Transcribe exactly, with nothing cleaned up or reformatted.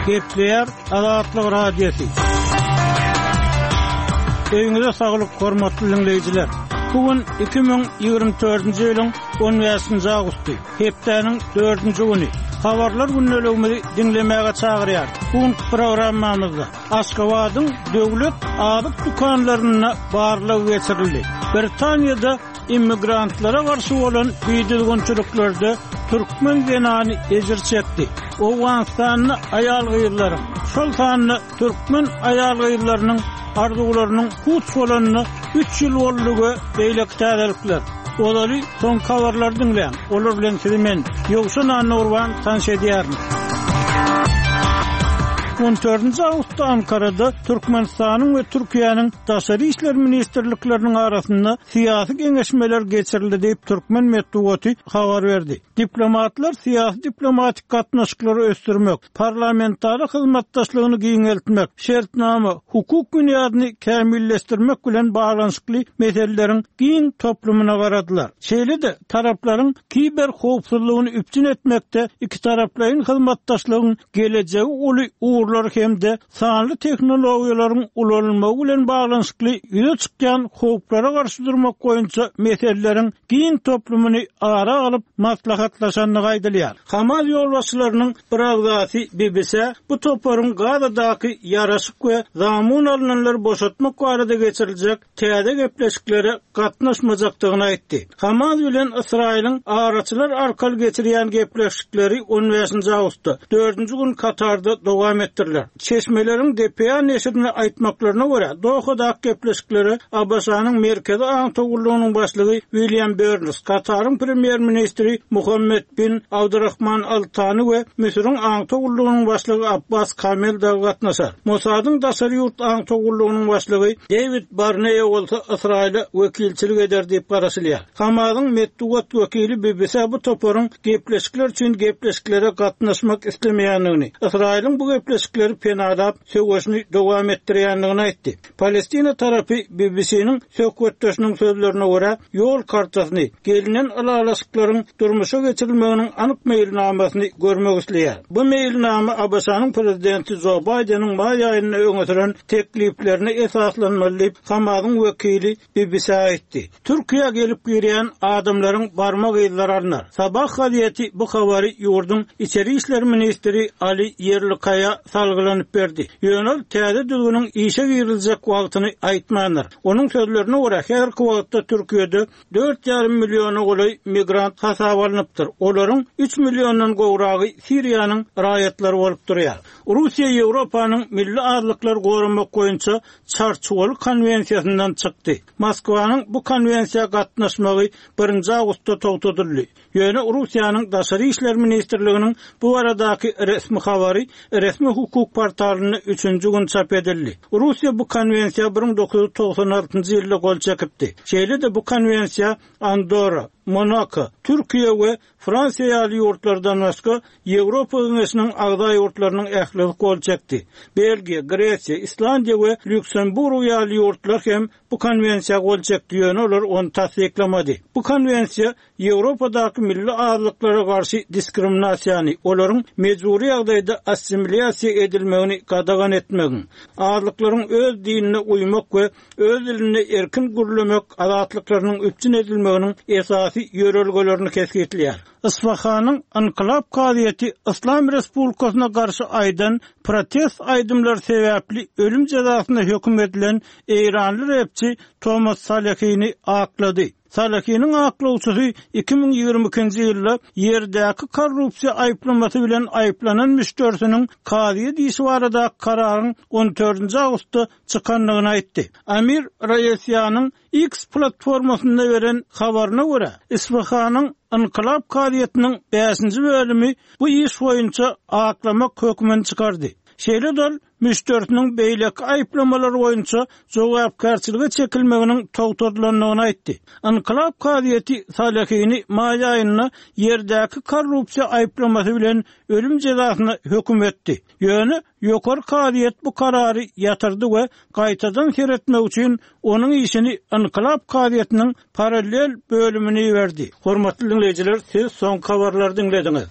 Gepleýär Azatlyk Radiosy. Öýüňize saglyk, hormatly diňleýjiler. Bu gün iki müň ýigrimi dördünji ýylyň on bäşinji awgusty, hepdäniň dördünji güni. Habarlar gündeligimizi diňlemäge çagyrýar. Bu günki programmamyzda Aşgabadyň döwlet azyk dükanlarynda barlag geçirildi. Britaniýada immigrantlara garşy bolan bidüzgünçiliklerde türkmen zenany ejir çekdi. Owganystanda aýal-gyzlaryň, şol sanda türkmen aýal-gyzlarynyň arzuwlarynyň puç bolanyna üç ýyl boldy we beýleki täzelikler. Ozaly soňky habarlary diňläň. Olar bilen sizi men, Ýowşan Annagurban, tanyş edýärin. On dördünji awgustda Ankarada Türkmenistanyň we Türkiýäniň Daşary işler ministrlikleriniň arasynda syýasy geňeşmeler geçirildi diýip türkmen metbugaty habar berdi. Diplomatlar syýasy diplomatik gatnaşyklary ösdürmek, parlamentara hyzmatdaşlygyny giňeltmek, şertnama, hukuk binýadyny kämilleşdirmek bilen baglanyşykly meseleleriň giň toplumyna garadylar. Şeýle-de taraplaryň kiber howpsuzlygyny üpjün etmekde iki taraplaýyn hyzmatdaşlygyň gelejegi uly ugurlar hem-de sanly tehnologiýalaryň ulanylmagy bilen baglanyşykly ýüze çykýan howplara garşy durmak boýunça meseleleriň giň toplumyny ara alyp maslahatlaşandygy aýdylýar. Hamas ýolbaşçylarynyň bir agzasy B B C bu toparyň Gazadaky ýaraşyk we zamun alynanlary boşatmak barada geçiriljek täze gepleşiklere gatnaşmajakdygyny aýtdy. Hamas bilen Ysraýylyň araçylar arkaly geçirýän gepleşikleri on bäşinji awgustda, dördünji gün Katarda dowam etdiriler. Çeşmeleriň D P A neşirine aýtmaklaryna görä, Dohadaky gepleşiklere A B Ş-nyň Merkezi Aňtaw gullugynyň başlygy William Burns, Kataryň premýer-ministri Muhammed bin Abdurrahman Al-Tani we Müsüriň Aňtaw gullugynyň başlygy Abbas Kamel dagy gatnaşar. Mossadyň daşary ýurt Aňtaw gullugynyň başlygy David Barnea bolsa Ysraýyla wekilçilik eder diýip garaşylýar. Hamasyň metbugat wekili B B C bu toparyň gepleşikler üçin gepleşiklere gatnaşmak islemeýändigini, Ysraýylyň bu gepleşikleri penalap söweşini dowam etdirýändigini aýtdy. Palestina tarapy B B C-niň söhbetdeşiniň sözlerine görä, ýol kartasyny, gelinen ylalaşyklaryň durmuşa geçirilmeginiň anyk meýilnamasyny görmek isleýär. Bu meýilnama A B Ş-nyň prezidenti Joe Bideniň maý aýynda öňe süren tekliplerine esaslanmaly diýip Hamasyň wekili B B C aýtdy. Türkiýä gelip girýän adamlaryň barmak yzlary alnar. Sabah gazeti bu habary ýurduň Içeri işler ministri Ali Yerlikaya salgylanyp berdi. Ýöne ol täze düzgüniň işe giriljek wagtyny aýtmandyr. Onuň sözlerine görä, her wagtda Türkiýede dört ýarym milliona golaý migrant hasap alnypdyr. Olaryň üç milliondan gowragy Siriýanyň raýatlary bolup durýar. Russiýa Ýewropanyň milli azlyklary goramak boýunça Çarçuwaly konwensiýasyndan çykdy. Moskwanyň bu konwensiýa gatnaşmagy birinji awgustda togtadyldy. Ýöne Russiýanyň Daşary işler ministrliginiň bu baradaky resmi habary resmi hukuk portalynda üçünji gün çap edildi. Russiýa bu konwensiýa bir müň dokuz ýüz togsan altynjy ýylda gol çekipdi. Şeýle-de bu konwensiýa Andorra, Monako, Türkiýe we Fransiýa ýaly ýurtlardan başga Ýewropa Geňeşiniň agza ýurtlarynyň ählisi gol çekdi. Belgiýa, Gresiýa, Islandiýa we Lüksemburg ýaly ýurtlar hem bu konwensiýa gol çekdi, ýöne olar ony tassyklamady. Bu konwensiýa Ýewropadaky milli azlyklara garşy diskriminasiýany, olaryň mejbury ýagdaýda assimilýasiýa edilmegini gadagan etmegiň, azlyklaryň öz dinine uýmak we öz dilinde erkin gürlemek azatlyklarynyň üpjün edilmeginiň esasy ýörelgelerini kesgitleýär. Isfahanyň Inkılap Kazyýeti Islam Respublikasyna garşy aýdan protest aýdymlar sebäpli ölüm jezasyna höküm edilen Eýranly repçi Thomas Salehini aklady. Salehiniň aklawçysy iki müň ýigrimi ikinji ýylda ýerdäki korrupsiýa aýyplamasy bilen aýyplanan müşderisiniň kazyýet işi barada kararyň on dördünji awgustda çykandygyny aýtdy. Amir Raýesýanyň X platformasynda beren habaryna görä, Isfahanyň Inkılap Kazyýetiniň bäşinji bölümi bu iş boýunça aklamak hökmüni çykardy. Şeýle-de ol müşderisiniň beýleki aýyplamalar boýunça jogapkärçilige çekilmeginiň togtadylandygyny aýtdy. Inkılap Kazyýeti Salehini maý aýynda ýerdäki korrupsiýa aýyplamasy bilen ölüm jezasyna höküm etdi. Ýöne ýokary kazyýet bu karary ýatyrdy we gaýtadan seretmek üçin onuň işini Inkılap Kazyýetiniň parallel bölümini berdi. Hormatly dinleýjiler, siz soňky habarlary dinlediňiz.